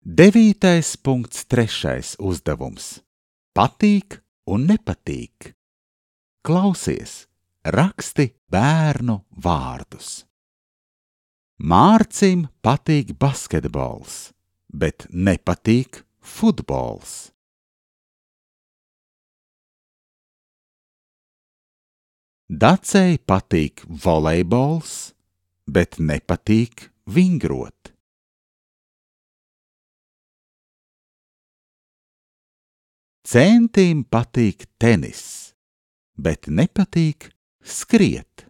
9.3. uzdevums. Patīk un nepatīk. Klausies, raksti bērnu vārdus. Mārcim patīk basketbols, bet nepatīk futbols. Dacei patīk volejbols, bet nepatīk vingrot. Centim patīk tenis, bet nepatīk skriet.